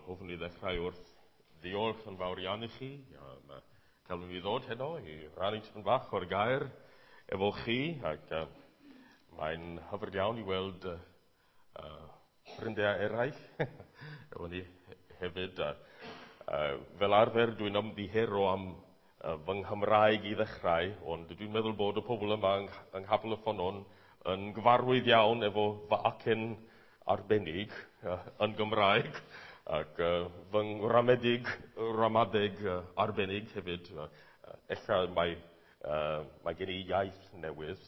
Hoffwn i ddechrau wrth ddiolch yn fawr iawn i chi am cael mi ddod heno i rannu tipyn bach o'r gair efo chi, ac mae'n hyfryd iawn i weld ffrindiau eraill efo ni hefyd. Fel arfer dwi'n ymddiheuro am fy Nghymraeg i ddechrau, ond dwi'n meddwl bod y pobl yma yng Nghapel y Ffynnon yn gyfarwydd iawn efo fy acen arbennig yn Gymraeg, ac fy ngramadeg arbennig hefyd. Ella mae gen i iaith newydd,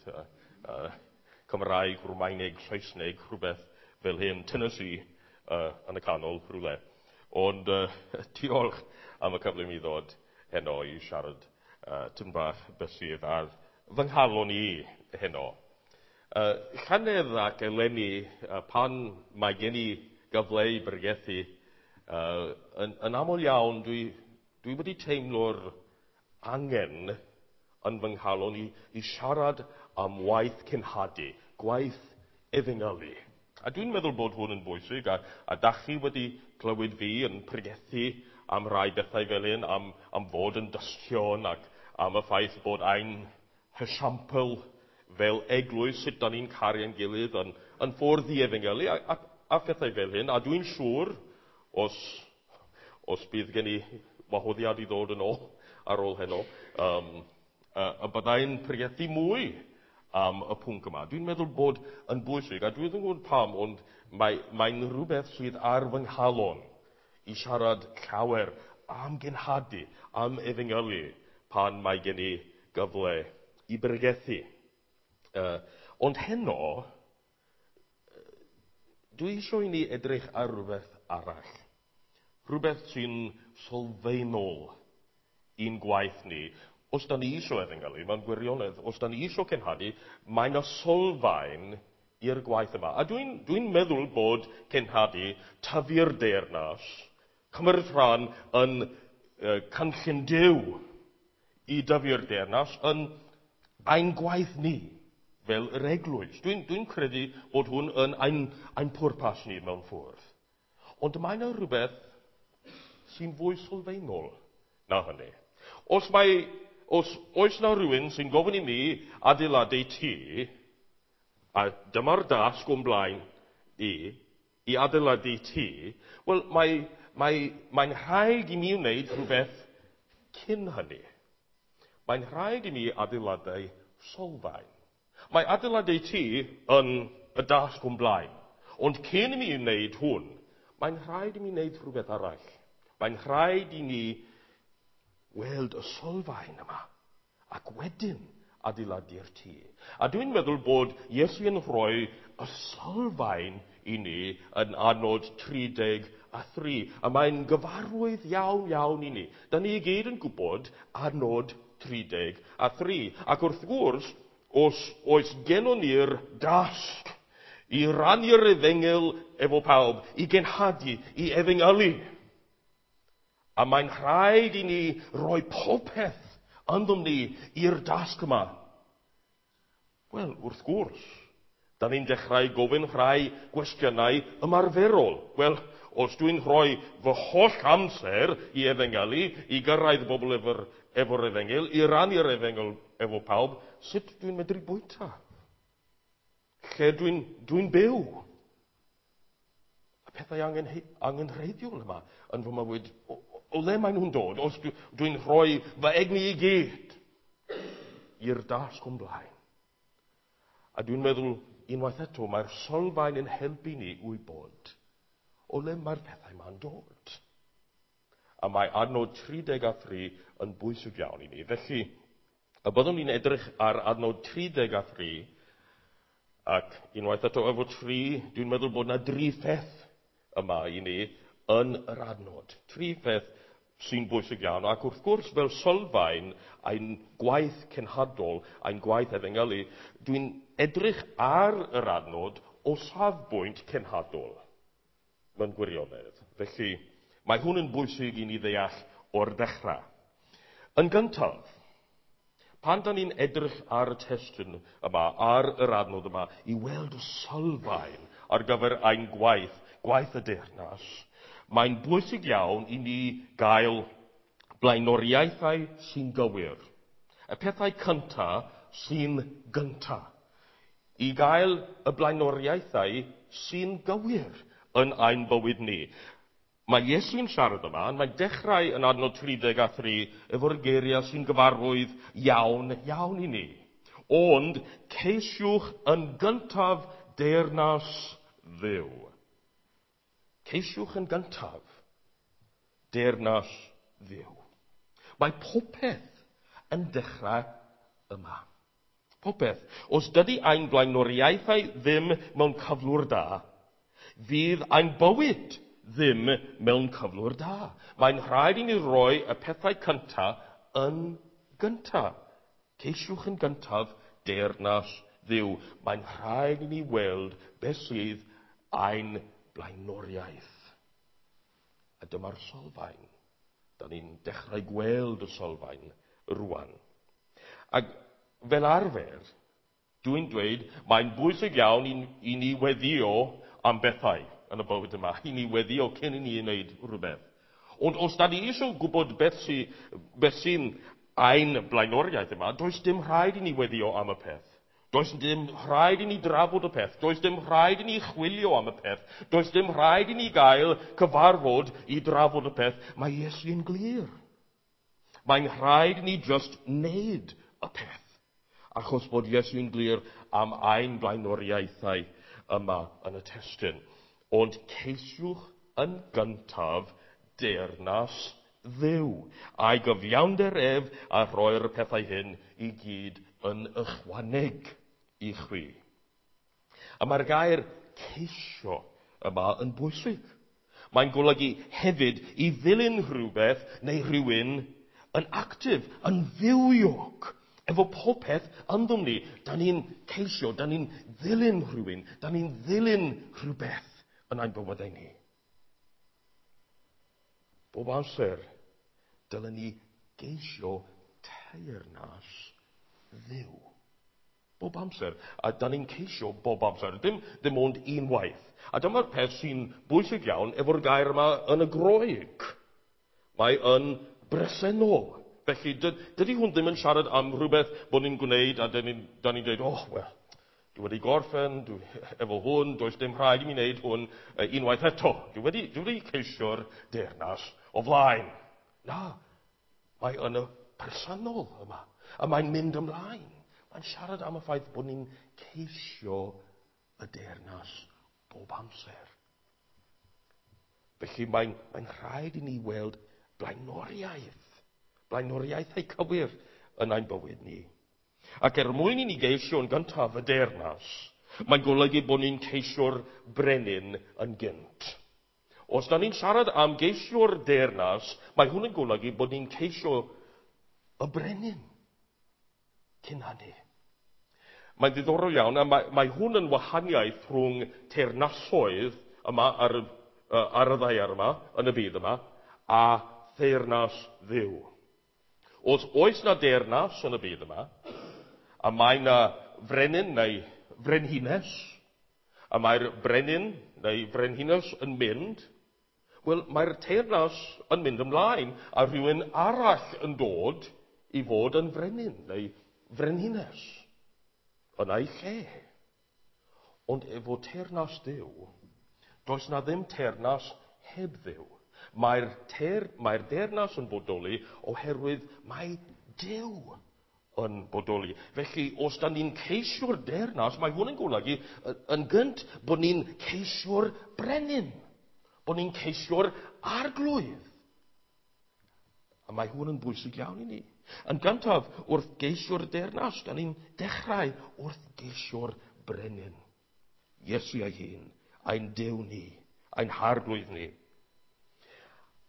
Cymraeg, Rwmaeneg, Saesneg, rhywbeth fel hyn, Tennessee yn y canol rhywle. Ond diolch am y cyfle i mi ddod heno i siarad tipyn bach beth sydd ar fy nghalon i heno. Llynedd ac eleni, pan mae gen i gyfle i bregethu, yn aml iawn dwi wedi teimlo'r angen yn fy nghalon i siarad am waith cenhadu, gwaith efengylu. A dwi'n meddwl bod hwn yn bwysig, a dach chi wedi clywed fi yn pregethu am rai bethau fel hyn, am fod yn dystion ac am y ffaith bod ein hesiampl fel eglwys, sut dan ni'n caru ein gilydd yn ffordd i efengylu a phethau fel hyn. A dwi'n siŵr, os bydd gen i wahoddiad i ddod yn ôl ar ôl heno, y byddai'n pregethu mwy am y pwnc yma. Dwi'n meddwl bod yn bwysig, a dwi ddim yn gwybod pam, ond mae'n rhywbeth sydd ar fy nghalon i siarad llawer am genhadu, am efengylu, pan mae gen i gyfle i bregethu. Ond heno, dwi eisiau i ni edrych ar rhywbeth arall. Rhywbeth sy'n sylfaenol i'n gwaith ni. Os da ni eisiau efengylu, mewn gwirionedd, os da ni eisiau cenhadu, mae yna sylfaen i'r gwaith yma. A dwi'n meddwl bod cenhadu, tyfu'r deyrnas, cymryd rhan yn cynllun Duw i dyfu'r deyrnas yn ein gwaith ni fel yr eglwys. Dwi'n credu bod hwn yn ein pwrpas ni mewn ffordd. Ond mae yna rhywbeth sy'n fwy sylfaenol na hynny. Os oes na rhywun sy'n gofyn i mi adeiladu tŷ, a dyma'r dasg o'n blaen i adeiladu tŷ, wel, mae'n rhaid i mi wneud rhywbeth cyn hynny. Mae'n rhaid i mi adeiladu sylfaen. Mae adeiladu tŷ yn y dasg o'n blaen, ond cyn i mi wneud hwn, mae'n rhaid i mi wneud rhywbeth arall. Mae'n rhaid i ni weld y sylfaen yma, ac wedyn adeiladu'r tŷ. A dwi'n meddwl bod Iesu yn rhoi y sylfaen i ni yn adnod 33, a mae'n gyfarwydd iawn iawn i ni. Da ni i gyd yn gwybod adnod 33, ac wrth gwrs, os oes gennon ni'r dasg i rannu'r efengyl efo pawb, i genhadu, i efengylu, a mae'n rhaid i ni roi popeth ynddom ni i'r dasg yma. Wel, wrth gwrs, da ni'n dechrau gofyn rhai gwestiynau ymarferol. Wel, os dwi'n rhoi fy holl amser i efengylu, i gyrraedd bobl efo'r efengyl, i rannu'r efengyl efo pawb, sut dwi'n medru bwyta? Lle dwi'n byw? Y pethau angenrheidiol yma yn fy mywyd, o le maen nhw'n dod, os dwi'n rhoi fy egni i gyd i'r dasg o'n blaen. A dwi'n meddwl, unwaith eto, mae'r sylfaen yn helpu ni wybod o le mae'r pethau ma'n dod. A mae adnod 33 yn bwysig iawn i ni. Felly, y byddwn ni'n edrych ar adnod 33, ac unwaith eto efo 3, dwi'n meddwl bod yna dri pheth yma i ni yn yr adnod. Tri pheth sy'n bwysig iawn, ac wrth gwrs fel sylfaen ein gwaith cenhadol, ein gwaith efengylu, dwi'n edrych ar yr adnod o safbwynt cenhadol mewn gwirionedd. Felly, mae hwn yn bwysig i ni ddeall o'r dechrau. Yn gyntaf, pan da ni'n edrych ar y testun yma, ar yr adnod yma, i weld y sylfaen ar gyfer ein gwaith, gwaith y deyrnas, Mae'n bwysig iawn i ni gael blaenoriaethau sy'n gywir. Y pethau cyntaf sy'n gyntaf. I gael y blaenoriaethau sy'n gywir yn ein bywyd ni. Mae Iesu'n siarad yma, mae'n dechrau yn adnod 33 efo'r geiriau sy'n gyfarwydd iawn, iawn i ni. Ond ceisiwch yn gyntaf deyrnas Dduw. Ceisiwch yn gyntaf deyrnas Dduw. Mae popeth yn dechrau yma. Popeth. Os dydy ein blaenoriaethau ddim mewn cyflwr da, fydd ein bywyd ddim mewn cyflwr da. Mae'n rhaid i ni roi y pethau cyntaf yn gyntaf. Ceisiwch yn gyntaf deyrnas Dduw. Mae'n rhaid i ni weld beth sydd ein blaenoriaeth. A dyma'r sylfaen. Da ni'n dechrau gweld y sylfaen rwan. Ac fel arfer, dwi'n dweud, mae'n bwysig iawn i ni weddio am bethau yn y bywyd yma. I ni weddio cyn i ni wneud rhywbeth. Ond os da ni eisiau gwybod beth sy'n ein blaenoriaeth yma, does dim rhaid i ni weddio am y peth. Does dim rhaid i ni drafod y peth. Does dim rhaid i ni chwilio am y peth. Does dim rhaid i ni gael cyfarfod i drafod y peth. Mae Iesu'n glir. Mae'n rhaid i ni just wneud y peth. Achos bod Iesu'n glir am ein blaenoriaethau yma yn y testun. Ond ceisiwch yn gyntaf deyrnas Dduw, a'i gyfiawnder ef a rhoi'r pethau hyn i gyd yn ychwaneg i chwi. A mae'r gair ceisio yma yn bwysig. Mae'n golygu hefyd i ddilyn rhywbeth neu rhywun yn actif, yn fywiog, efo popeth ynddom ni. Da ni'n ceisio, da ni'n ddilyn rhywun, da ni'n ddilyn rhywbeth yn ein bywydau ni. Bob amser, dylen ni geisio teyrnas Dduw. Bob amser. A da ni'n ceisio bob amser. Dim ond unwaith. A dyma'r peth sy'n bwysig iawn efo'r gair yma yn y Groeg. Mae yn bresennol. Felly, dydy hwn ddim yn siarad am rhywbeth bod ni'n gwneud a da ni'n dweud, oh, well, dwi wedi gorffen efo hwn, does dim rhaid i mi wneud hwn unwaith eto. Dwi wedi ceisio'r deyrnas o flaen. Na, mae yn y personol yma. A mae'n mynd ymlaen. Mae'n siarad am y ffaith bod ni'n ceisio y deyrnas bob amser. Felly mae'n rhaid i ni weld blaenoriaeth. Blaenoriaethau cywir yn ein bywyd ni. Ac er mwyn i ni geisio yn gyntaf y deyrnas, mae'n golygu bod ni'n ceisio'r brenin yn gynt. Os da ni'n siarad am geisio'r deyrnas, mae hwn yn golygu bod ni'n ceisio y brenin cyn hynny. Mae'n ddiddorol iawn, a mae hwn yn wahaniaeth rhwng teyrnasoedd yma ar y ddaear yma, yn y byd yma, a theyrnas Dduw. Os oes na deyrnas yn y byd yma, a mae na frenin neu frenhines, a mae'r brenin neu frenhines yn mynd, wel, mae'r teyrnas yn mynd ymlaen, a rhywun arall yn dod i fod yn frenin neu frenhines yn ei lle. Ond efo teyrnas Dduw, does na ddim teyrnas heb Dduw. Mae'r deyrnas yn bodoli oherwydd mae Duw yn bodoli. Felly, os da ni'n ceisio'r deyrnas, mae hwn yn golygu yn gynt bod ni'n ceisio'r brenin, bod ni'n ceisio'r arglwydd. A mae hwn yn bwysig iawn i ni. Yn gyntaf, wrth geisio'r deyrnas, da ni'n dechrau wrth geisio'r brenin. Iesu ei hun, ein Duw ni, ein harglwydd ni.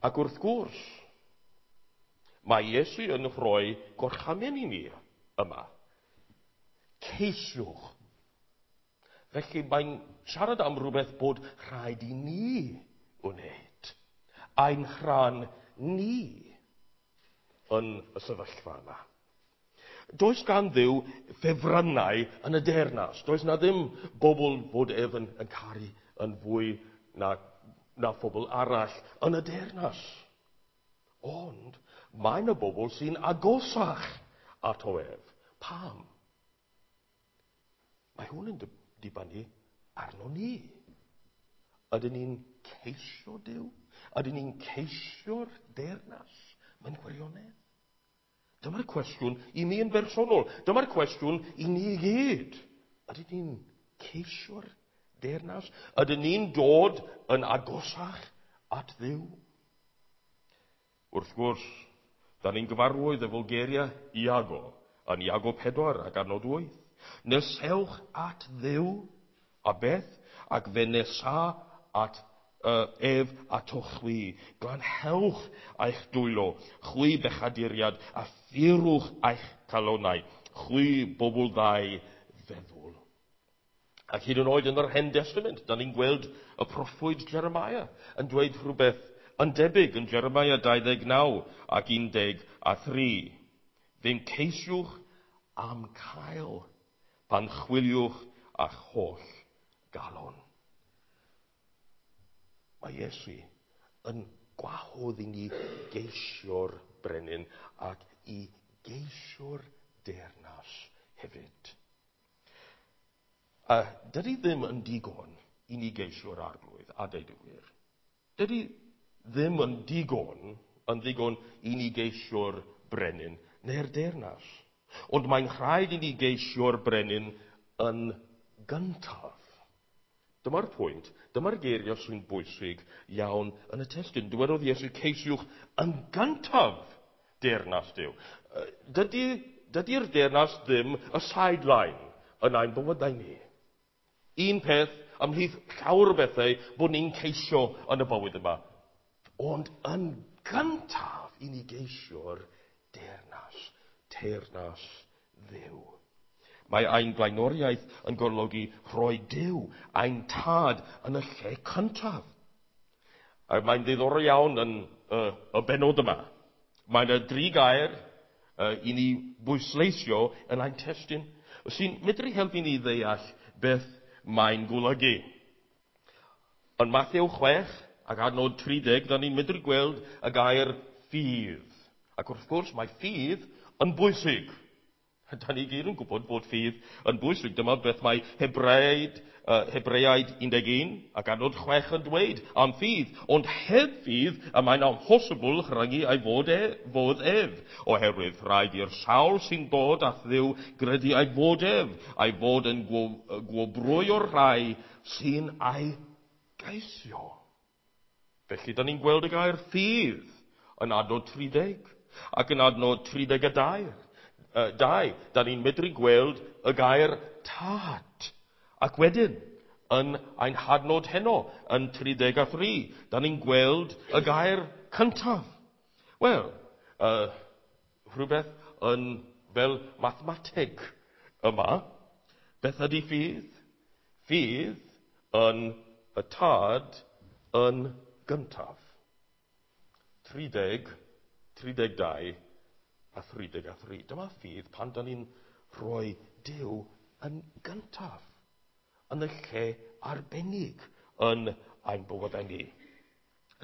Ac wrth gwrs, mae Iesu yn rhoi gorchymyn i ni yma. Ceisiwch. Felly mae'n siarad am rhywbeth bod rhaid i ni wneud. Ein rhan ni yn y sefyllfa yma. Does gan Dduw ffefrynnau yn y deyrnas. Does na ddim bobl fod ef yn caru yn fwy na na phobl arall yn y deyrnas. Ond mae yna bobl sy'n agosach ato ef. Pam? Mae hwn yn dibynnu arno ni. Ydyn ni'n ceisio Duw? Ydyn ni'n ceisio'r deyrnas mewn gwirionedd? Dyma'r cwestiwn i mi yn bersonol. Dyma'r cwestiwn i ni i gyd. Ydyn ni'n ceisio'r deyrnas? Ydyn ni'n dod yn agosach at Dduw? Wrth gwrs, da ni'n gyfarwydd efo geiriau Iago, yn Iago 4 ac adnod 8. Nesewch at Dduw, a beth? Ac fe nesa at ef atoch chwi. Glanhewch eich dwylo, chwi bechaduriad, a phurwch eich calonnau, chwi bobl ddau feddwl. Ac hyd yn oed yn yr Hen Testament, da ni'n gweld y proffwyd Jeremiah yn dweud rhywbeth yn debyg yn Jeremiah 29 ac 13. Fe'n ceisiwch am cael pan chwiliwch a'ch holl galon. Mae Iesu yn gwahodd i ni geisio'r brenin ac i geisio'r deyrnas hefyd. A dydy ddim yn digon i ni geisio'r arglwydd, a deud y gwir. Dydy ddim yn digon i ni geisio'r brenin neu'r deyrnas. Ond mae'n rhaid i ni geisio'r brenin yn gyntaf. Dyma'r pwynt, dyma'r geiriau sy'n bwysig iawn yn y testun. Dywedodd Iesu, ceisiwch yn gyntaf deyrnas Duw. Dydy'r deyrnas ddim y sideline yn ein bywydau ni. Un peth ymhlith llawer o bethau bod ni'n ceisio yn y bywyd yma. Ond yn gyntaf i ni geisio'r deyrnas, teyrnas Dduw. Mae ein blaenoriaeth yn golygu rhoi Duw, ein tad, yn y lle cyntaf. A mae'n ddiddorol iawn yn y bennod yma. Mae yna dri gair i ni bwysleisio yn ein testun sy'n medru helpu ni ddeall beth mae'n golygu. Yn Mathew 6 ac adnod 30, da ni'n medru gweld y gair ffydd. Ac wrth gwrs mae ffydd yn bwysig. Da ni gyd yn gwybod bod ffydd yn bwysig. Dyma beth mae Hebreaid 11 ac adnod 6 yn dweud am ffydd. Ond heb ffydd, y mae'n amhosibl rhyngu ei fod ef. Oherwydd rhaid i'r sawl sy'n dod at Dduw gredu ei fod ef, ei fod yn gwobrwyo'r rhai sy'n ei geisio. Felly, da ni'n gweld y gair ffydd yn adnod 30 ac yn adnod 32. Da ni'n medru gweld y gair tad. Ac wedyn, yn ein hadnod heno, yn 33, da ni'n gweld y gair cyntaf. Wel, rhywbeth yn fel mathemateg yma. Beth ydy ffydd? Ffydd yn y tad yn gyntaf. 30, 32 a 33. Dyma ffydd pan da ni'n rhoi Duw yn gyntaf, yn y lle arbennig yn ein bywydau ni.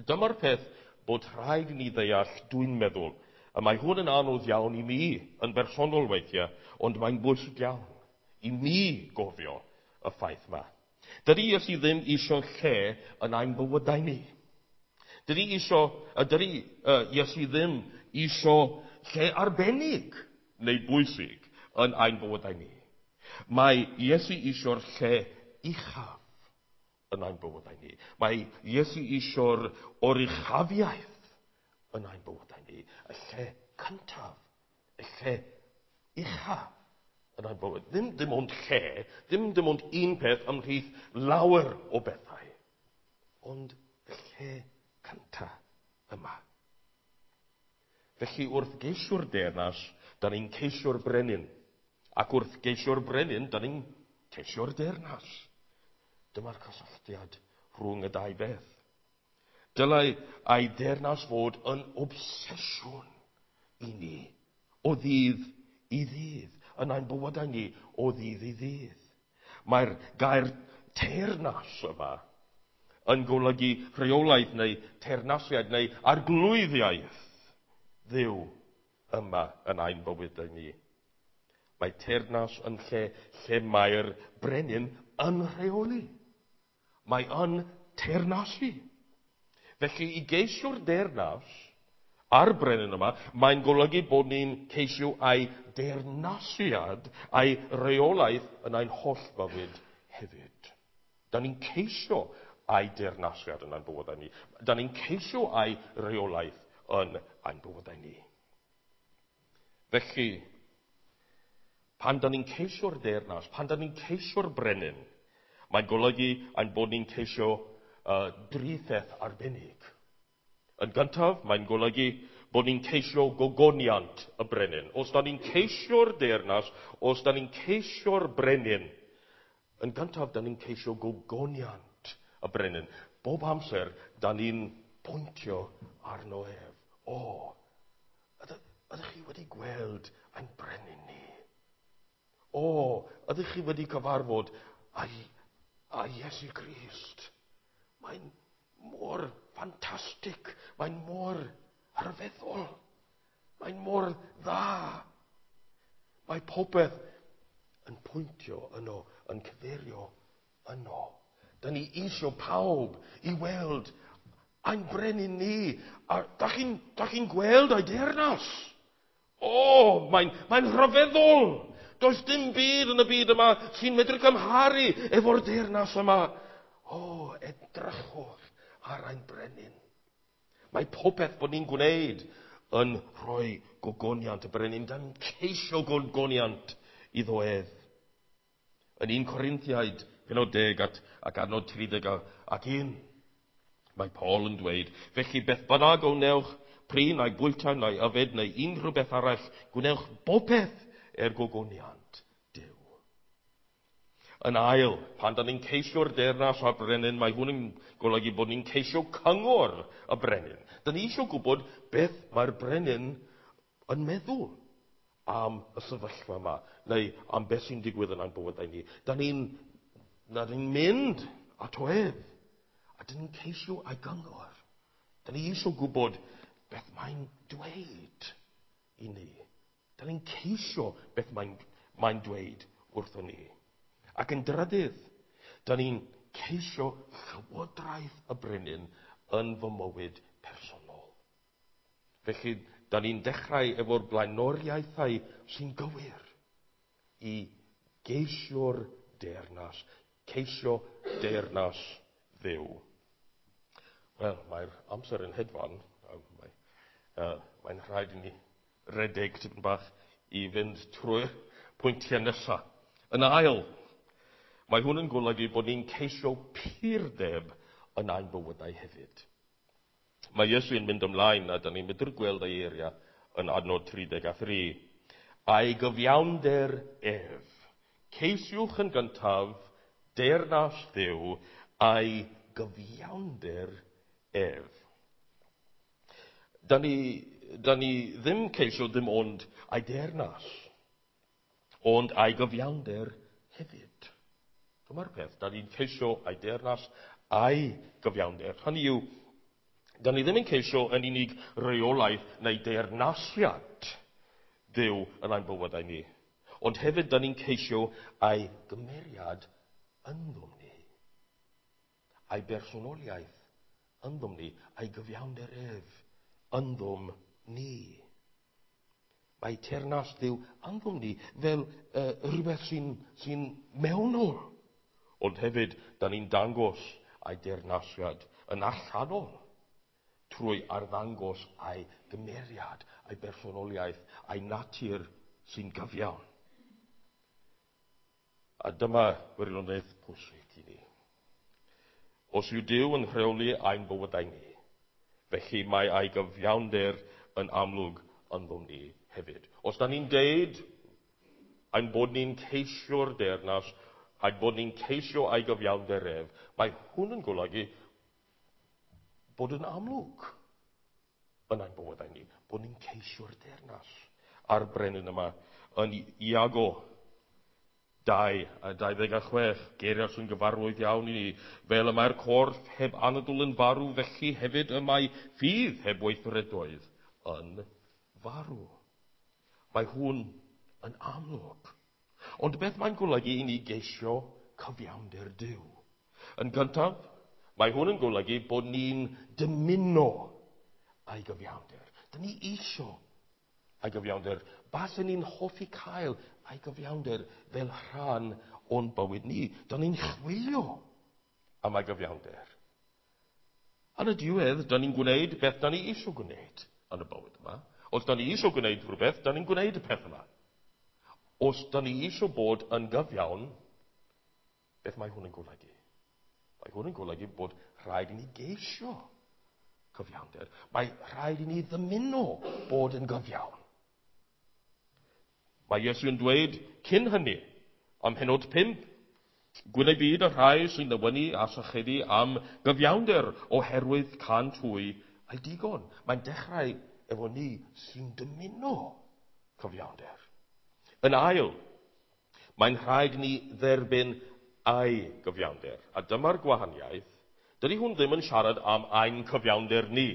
Dyma'r peth bod rhaid i ni ddeall, dwi'n meddwl. A mae hwn yn anodd iawn i mi, yn bersonol weithiau, ond mae'n bwysig iawn i mi gofio y ffaith yma. Dydy Iesu ddim isio lle yn ein bywydau ni. Dydy Iesu ddim isio lle arbennig neu bwysig yn ein bywydau ni. Mae Iesu isio'r lle uchaf yn ein bywydau ni. Mae Iesu isio'r oruchafiaeth yn ein bywydau ni. Y lle cyntaf, y lle uchaf yn ein bywyd. Ddim dim ond lle, ddim dim ond un peth ymhlith lawer o bethau, ond y lle cyntaf yma. Felly wrth geisio'r deyrnas, da ni'n ceisio'r brenin. Ac wrth geisio'r brenin, da ni'n ceisio'r deyrnas. Dyma'r cysylltiad rhwng y dau beth. Dylai ei deyrnas fod yn obsesiwn i ni, o ddydd i ddydd, yn ein bywydau ni, o ddydd i ddydd. Mae'r gair teyrnas yma yn golygu rheolaeth neu teyrnasiad neu arglwyddiaeth Dduw yma yn ein bywydau ni. Mae teyrnas yn lle lle mae'r brenin yn rheoli. Mae yn teyrnasu. Felly i geisio'r deyrnas a'r brenin yma, mae'n golygu bod ni'n ceisio ei deyrnasiad a'i reolaeth yn ein holl fywyd hefyd. Da ni'n ceisio ei deyrnasiad yn ein bywydau ni. Da ni'n ceisio ei reolaeth yn ein bywydau ni. Felly, pan da ni'n ceisio'r deyrnas, pan da ni'n ceisio'r brenin, mae'n golygu ein bod ni'n ceisio dri pheth arbennig. Yn gyntaf, mae'n golygu bod ni'n ceisio gogoniant y brenin. Os da ni'n ceisio'r deyrnas, os da ni'n ceisio'r brenin, yn gyntaf, da ni'n ceisio gogoniant y brenin. Bob amser, da ni'n pwyntio arno ef. O, ydych chi wedi gweld ein brenin ni? O, ydych chi wedi cyfarfod â Iesu Grist? Mae'n mor ffantastig, mae'n mor rhyfeddol, mae'n mor dda. Mae popeth yn pwyntio yno, yn cyfeirio yno. Da ni isio pawb i weld ein brenin ni. A da chi'n gweld ei deyrnas? O, mae'n rhyfeddol. Does dim byd yn y byd yma sy'n medru cymharu efo'r deyrnas yma. O, edrychwch ar ein brenin. Mae popeth bod ni'n gwneud yn rhoi gogoniant y brenin. Da ni'n ceisio gogoniant iddo ef. Yn 1 Corinthiaid, pennod 10 ac adnod 31, mae Paul yn dweud, felly beth bynnag o wnewch, prin neu bwyta neu yfed neu unrhyw beth arall, gwnewch bopeth er gogoniant Duw. Yn ail, pan da ni'n ceisio'r deyrnas a'r brenin, mae hwn yn golygu bod ni'n ceisio cyngor y brenin. Da ni eisiau gwybod beth mae'r brenin yn meddwl am y sefyllfa yma, neu am beth sy'n digwydd yn ein bywydau ni. Da ni'n mynd ato ef, a da ni'n ceisio ei gyngor. Da ni eisiau gwybod beth mae'n dweud i ni. Da ni'n ceisio beth mae'n dweud wrthon ni. Ac yn drydydd, da ni'n ceisio llywodraeth y brenin yn fy mywyd personol. Felly, da ni'n dechrau efo'r blaenoriaethau sy'n gywir i geisio'r deyrnas, ceisio deyrnas Dduw. Wel, mae'r amser yn hedfan. Mae'n rhaid i ni redeg tipyn bach i fynd trwy'r pwyntiau nesaf. Yn ail, mae hwn yn golygu bod ni'n ceisio purdeb yn ein bywydau hefyd. Mae Iesu yn mynd ymlaen a da ni'n medru gweld ei eiriau yn adnod 33. A'i gyfiawnder ef. Ceisiwch yn gyntaf deyrnas Dduw a'i gyfiawnder ef. Da ni ddim ceisio dim ond ei deyrnas, ond ei gyfiawnder hefyd. Dyma'r peth, da ni'n ceisio ei deyrnas a'i gyfiawnder. Hynny yw, da ni ddim yn ceisio yn unig reolaeth neu deyrnasiad Duw yn ein bywydau ni, ond hefyd da ni'n ceisio ei gymeriad ynddom ni, ei bersonoliaeth ynddom ni, ei gyfiawnder ef ynddom ni. Mae teyrnas Dduw ynddom ni fel rhywbeth sy'n mewnol, ond hefyd da ni'n dangos ei deyrnasiad yn allanol trwy arddangos ei gymeriad, ei bersonoliaeth, ei natur sy'n gyfiawn. A dyma wirionedd pwysig i ni. Os yw Duw yn rheoli ein bywydau ni, felly mae ei gyfiawnder yn amlwg ynddom ni hefyd. Os da ni'n deud ein bod ni'n ceisio'r deyrnas, ein bod ni'n ceisio ei gyfiawnder ef, mae hwn yn golygu bod yn amlwg yn ein bywydau ni, bod ni'n ceisio'r deyrnas. A'r brenin yma yn Iago 2 a 26, geiriau sy'n gyfarwydd iawn i ni, fel y mae'r corff heb anadl yn farw, felly hefyd y mae ffydd heb weithredoedd yn farw. Mae hwn yn amlwg. Ond beth mae'n golygu i ni geisio cyfiawnder Duw? Yn gyntaf, mae hwn yn golygu bod ni'n dymuno ei gyfiawnder. Dyn ni isio ei gyfiawnder. Basen ni'n hoffi cael ei gyfiawnder fel rhan o'n bywyd ni. Dyn ni'n chwilio am ei gyfiawnder. Yn y diwedd, dyn ni'n gwneud beth dyn ni eisiau gwneud yn y bywyd yma. Os dyn ni eisiau gwneud rhywbeth, dyn ni'n gwneud y peth yma. Os dyn ni eisiau bod yn gyfiawn, beth mae hwn yn golygu? Mae hwn yn golygu bod rhaid i ni geisio cyfiawnder. Mae rhaid i ni ddymuno bod yn gyfiawn. Mae Iesu yn dweud cyn hynny, am pennod 5, gwyn eu byd y rhai sy'n newynu a sychedu am gyfiawnder oherwydd cânt hwy eu digon. Mae'n dechrau efo ni sy'n dymuno cyfiawnder. Yn ail, mae'n rhaid ni dderbyn ei gyfiawnder. A dyma'r gwahaniaeth. Dydy hwn ddim yn siarad am ein cyfiawnder ni.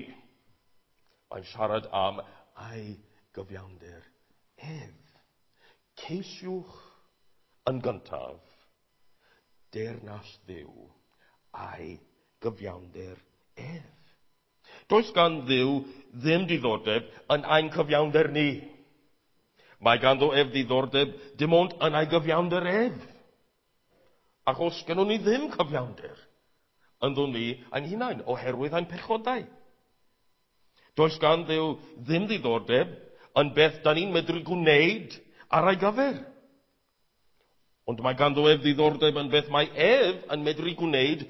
Mae'n siarad am ei gyfiawnder ef. Ceisiwch yn gyntaf deyrnas Dduw a'i gyfiawnder ef. Does gan Dduw ddim diddordeb yn ein cyfiawnder ni. Mae ganddo ef ddiddordeb dim ond yn ei gyfiawnder ef. Achos gynnon ni ddim cyfiawnder ynddo ni ein hunain oherwydd ein pechodau. Does gan Dduw ddim ddiddordeb yn beth da ni'n medru gwneud ar ei gyfer. Ond mae ganddo ef ddiddordeb yn beth mae ef yn medru gwneud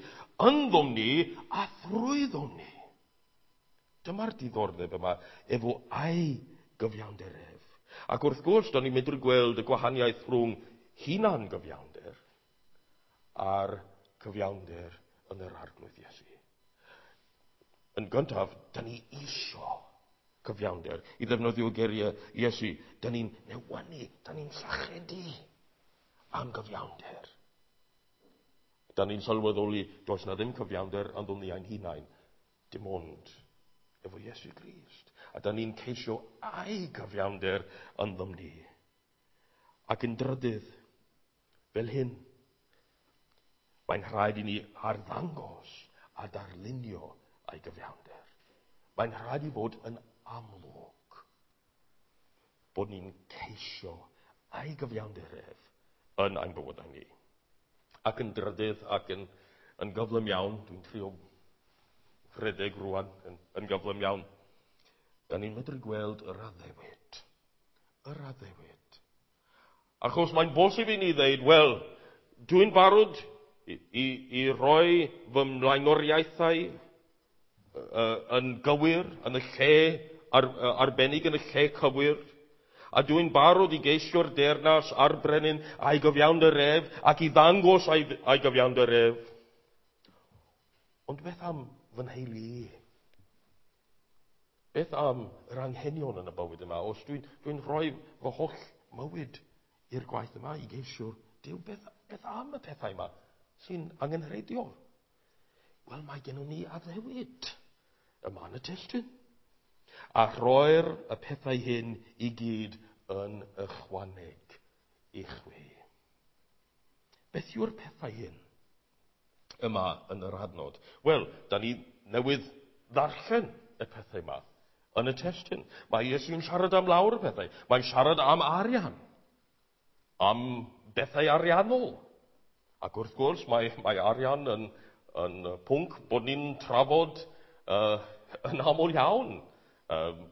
ynddom ni a thrwyddom ni. Dyma'r diddordeb yma efo ei gyfiawnder ef. Ac wrth gwrs, da ni'n medru gweld y gwahaniaeth rhwng hunan gyfiawnder a'r cyfiawnder yn yr Arglwydd Iesu. Yn gyntaf, da ni isio cyfiawnder. I ddefnyddio geiriau Iesu, da ni'n newynu, da ni'n sychedu am gyfiawnder. Da ni'n sylweddoli does na ddim cyfiawnder ynddo ni ein hunain, dim ond efo Iesu Grist. A da ni'n ceisio ei gyfiawnder ynddom ni. Ac yn drydydd, fel hyn, mae'n rhaid i ni arddangos a darlunio ei gyfiawnder. Mae'n rhaid i fod yn amlwg bod ni'n ceisio ei gyfiawnder ef yn ein bywydau ni. Ac yn drydydd ac yn gyflym iawn, dwi'n trio rhedeg rwan yn gyflym iawn, da ni'n medru gweld yr addewid. Yr addewid. Achos mae'n bosib i ni ddeud, wel, dwi'n barod i roi fy mlaenoriaethau yn gywir, yn y lle arbennig, yn y lle cywir, a dwi'n barod i geisio'r deyrnas a'r brenin a'i gyfiawnder ef, ac i ddangos ei gyfiawnder ef. Ond beth am fy nheulu i? Beth am yr anghenion yn y bywyd yma? Os dwi'n rhoi fy holl mywyd i'r gwaith yma i geisio'r Duw, beth am y pethau yma sy'n angenrheidiol? Wel, mae gennym ni addewid yma yn y testun. A rhoi'r y pethau hyn i gyd yn ychwaneg i chwi. Beth yw'r pethau hyn yma yn yr adnod? Wel, da ni newydd ddarllen y pethau yma yn y testun. Mae Iesu'n siarad am lawer o pethau. Mae'n siarad am arian, am bethau ariannol. Ac wrth gwrs, mae arian yn pwnc bod ni'n trafod yn aml iawn.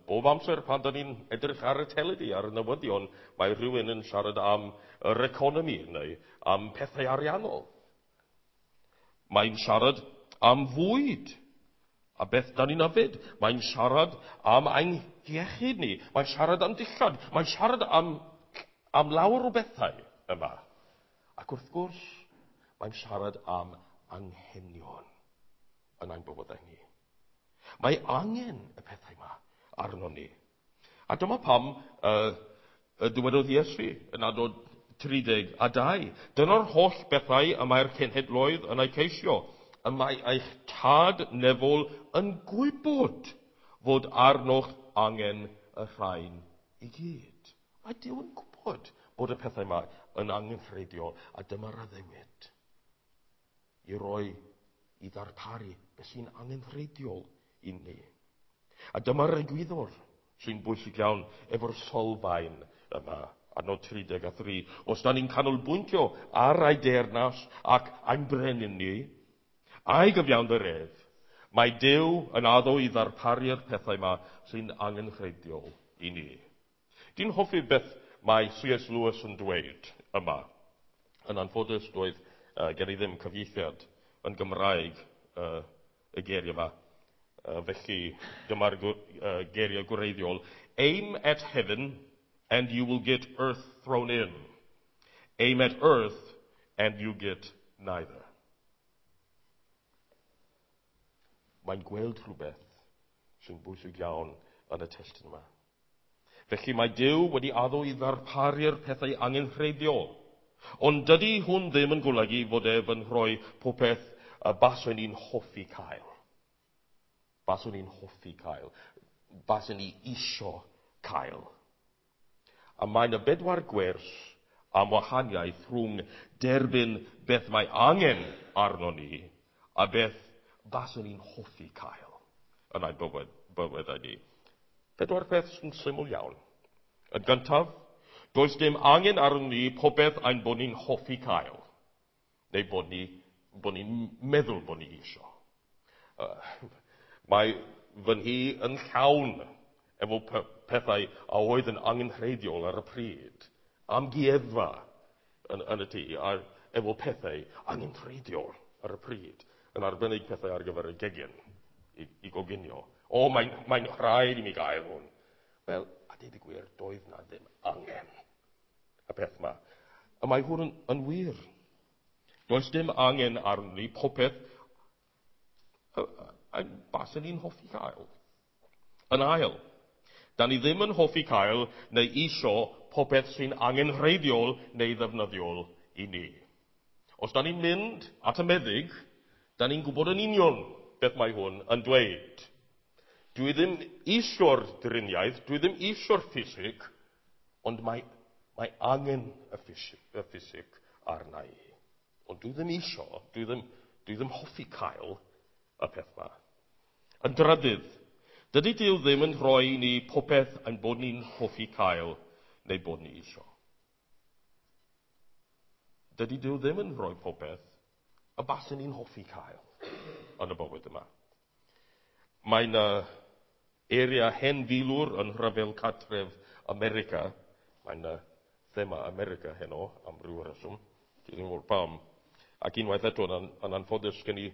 Bob amser pan da ni'n edrych ar y teledu, ar y newyddion, mae rhywun yn siarad am yr economi neu am pethau ariannol. Mae'n siarad am fwyd a beth da ni'n yfed. Mae'n siarad am ein iechyd ni. Mae'n siarad am dillad. Mae'n siarad am lawer o bethau yma. Ac wrth gwrs, mae'n siarad am anghenion yn ein bywydau ni. Mae angen y pethau yma arno ni. A dyma pam dywedodd Iesu yn adnod 32. Dyna'r holl bethau y mae'r cenhedloedd yn eu ceisio. Y mae eich Tad nefol yn gwybod fod arnoch angen y rhain i gyd. Mae Duw yn gwybod bod y pethau yma yn angenrheidiol, a dyma'r addewid i roi, i ddarparu beth sy'n angenrheidiol i ni. A dyma'r egwyddor sy'n bwysig iawn efo'r sylfaen yma, adnod 33. Os da ni'n canolbwyntio ar ei deyrnas ac ein brenin ni, a'i gyfiawnder ef, mae Duw yn addo i ddarparu'r pethau yma sy'n angenrheidiol i ni. Dwi'n hoffi beth mae C.S. Lewis yn dweud yma. Yn anffodus, doedd gen i ddim cyfieithiad yn Gymraeg y geiriau yma. Felly, dyma'r geiriau gwreiddiol. Aim at heaven and you will get earth thrown in. Aim at earth and you get neither. Mae'n gweld rhywbeth sy'n bwysig iawn yn y testun yma. Felly mae Duw wedi addo i ddarparu'r pethau angenrheidiol. Ond dydy hwn ddim yn golygu fod ef yn rhoi popeth y baswn ni'n hoffi cael. Baswn ni'n hoffi cael. Baswn ni isio cael. A mae yna bedwar gwers am wahaniaeth rhwng derbyn beth mae angen arno ni a beth baswn ni'n hoffi cael yn ein bywydau ni. Pedwar peth sy'n syml iawn. Yn gyntaf, does dim angen arno ni popeth ein bod ni'n hoffi cael, neu bod ni'n meddwl bod ni isio. Mae fy nhŷ yn llawn efo pethau a oedd yn angenrheidiol ar y pryd. Amgueddfa yn y tŷ, a efo pethau angenrheidiol ar y pryd, yn arbennig pethau ar gyfer y gegin i goginio. O, mae'n rhaid i mi gael hwn. Wel, a deud y gwir, doedd na ddim angen y peth yma. A mae hwn yn wir. Does dim angen arni ni popeth a baswn ni'n hoffi cael. Yn ail, da ni ddim yn hoffi cael neu isio popeth sy'n angenrheidiol neu ddefnyddiol i ni. Os da ni'n mynd at y meddyg, da ni'n gwybod yn union beth mae hwn yn dweud. Dwi ddim isio'r driniaeth, dwi ddim isio'r ffisig, ond mae angen y ffisig arna i. Ond dwi ddim isio, dwi ddim hoffi cael y peth yma. Yn drydydd, dydy Duw ddim yn rhoi ni popeth ein bod ni'n hoffi cael neu bod ni isio. Dydy Duw ddim yn rhoi popeth y baswn ni'n hoffi cael yn y bywyd yma. Mae yna area hen filwr yn rhyfel cartref America. Mae yna thema America heno am ryw reswm. Dwi ddim yn gwybod pam. Ac unwaith eto, yn anffodus, sgen i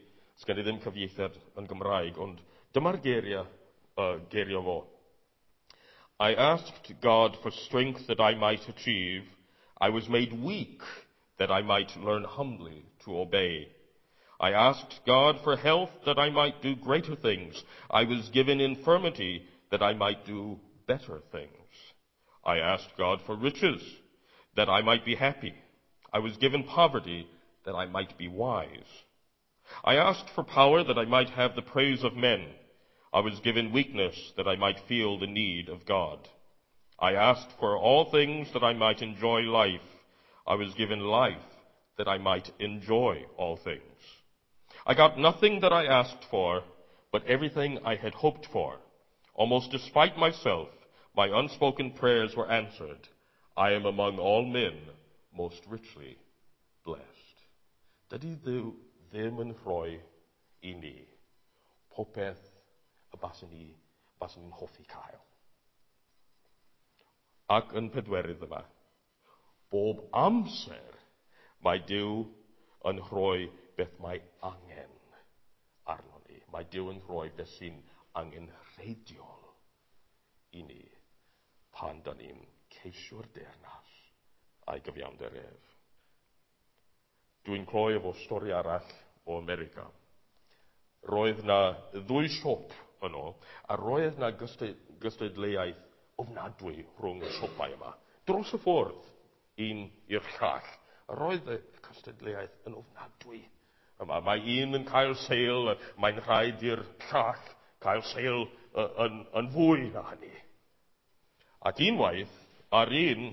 ddim cyfieithiad yn Gymraeg, ond dyma'r geiriau fo. I asked God for strength that I might achieve. I was made weak that I might learn humbly to obey. I asked God for health that I might do greater things. I was given infirmity that I might do better things. I asked God for riches that I might be happy. I was given poverty that I might be wise. I asked for power that I might have the praise of men. I was given weakness that I might feel the need of God. I asked for all things that I might enjoy life. I was given life that I might enjoy all things. I got nothing that I asked for, but everything I had hoped for. Almost despite myself, my unspoken prayers were answered. I am among all men most richly blessed. Dydy Dduw ddim yn rhoi i ni popeth y baswn ni'n hoffi cael. Ac yn pedwerydd yma, bob amser mae Duw yn rhoi beth mae angen arno ni. Mae Duw yn rhoi beth sy'n angenrheidiol i ni pan da ni'n ceisio'r deyrnas a'i gyfiawnder ef. Dwi'n cloi efo stori arall o America. Roedd na ddwy siop yno, a roedd na gystadleuaeth ofnadwy rhwng y siopau yma, dros y ffordd. un i'r llall. Roedd y cystadleuaeth yn ofnadwy yma. Mae un yn cael sale, mae'n rhaid i'r llall cael sale yn fwy na hynny. Ac unwaith, ar un,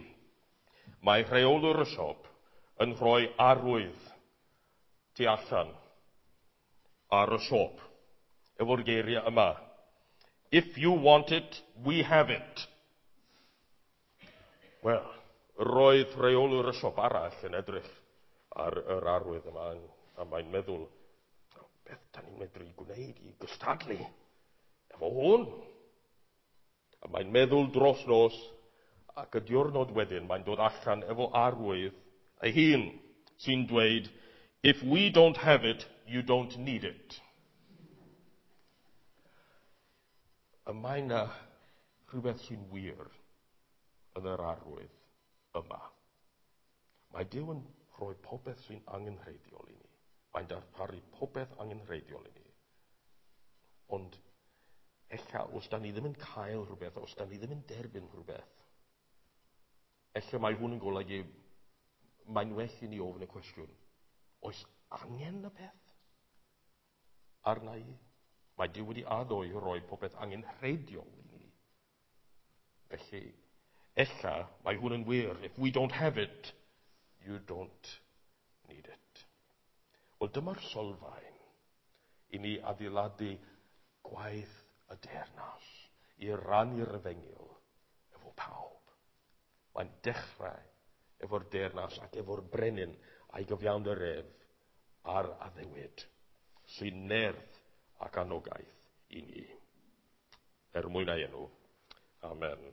mae rheolwr y siop yn rhoi arwydd tu allan ar y siop efo'r geiriau yma. "If you want it, we have it." Wel, roedd rheolwr y siop arall yn edrych ar yr arwydd yma a mae'n meddwl, "Beth da ni'n medru gwneud i gystadlu efo hwn?" A mae'n meddwl dros nos, ac y diwrnod wedyn mae'n dod allan efo arwydd ei hun sy'n dweud, "If we don't have it, you don't need it." Y mae yna rhywbeth sy'n wir yn yr arwydd yma. Mae Duw yn rhoi popeth sy'n angenrheidiol i ni. Mae'n darparu popeth angenrheidiol i ni. Ond ella, os da ni ddim yn cael rhywbeth, os da ni ddim yn derbyn rhywbeth, ella mae hwn yn golygu mae'n well i ni ofyn y cwestiwn, oes angen y peth arna i? Mae Duw wedi addo i roi popeth angenrheidiol i ni. Felly, ella mae hwn yn wir. If we don't have it, you don't need it. Wel, dyma'r sylfaen i ni adeiladu gwaith y deyrnas, i rannu'r efengyl efo pawb. Mae'n dechrau efo'r deyrnas ac efo'r brenin a'i gyfiawnder ef a'r addewid sy'n nerth ac anogaeth i ni. Er mwyn ei enw. Amen.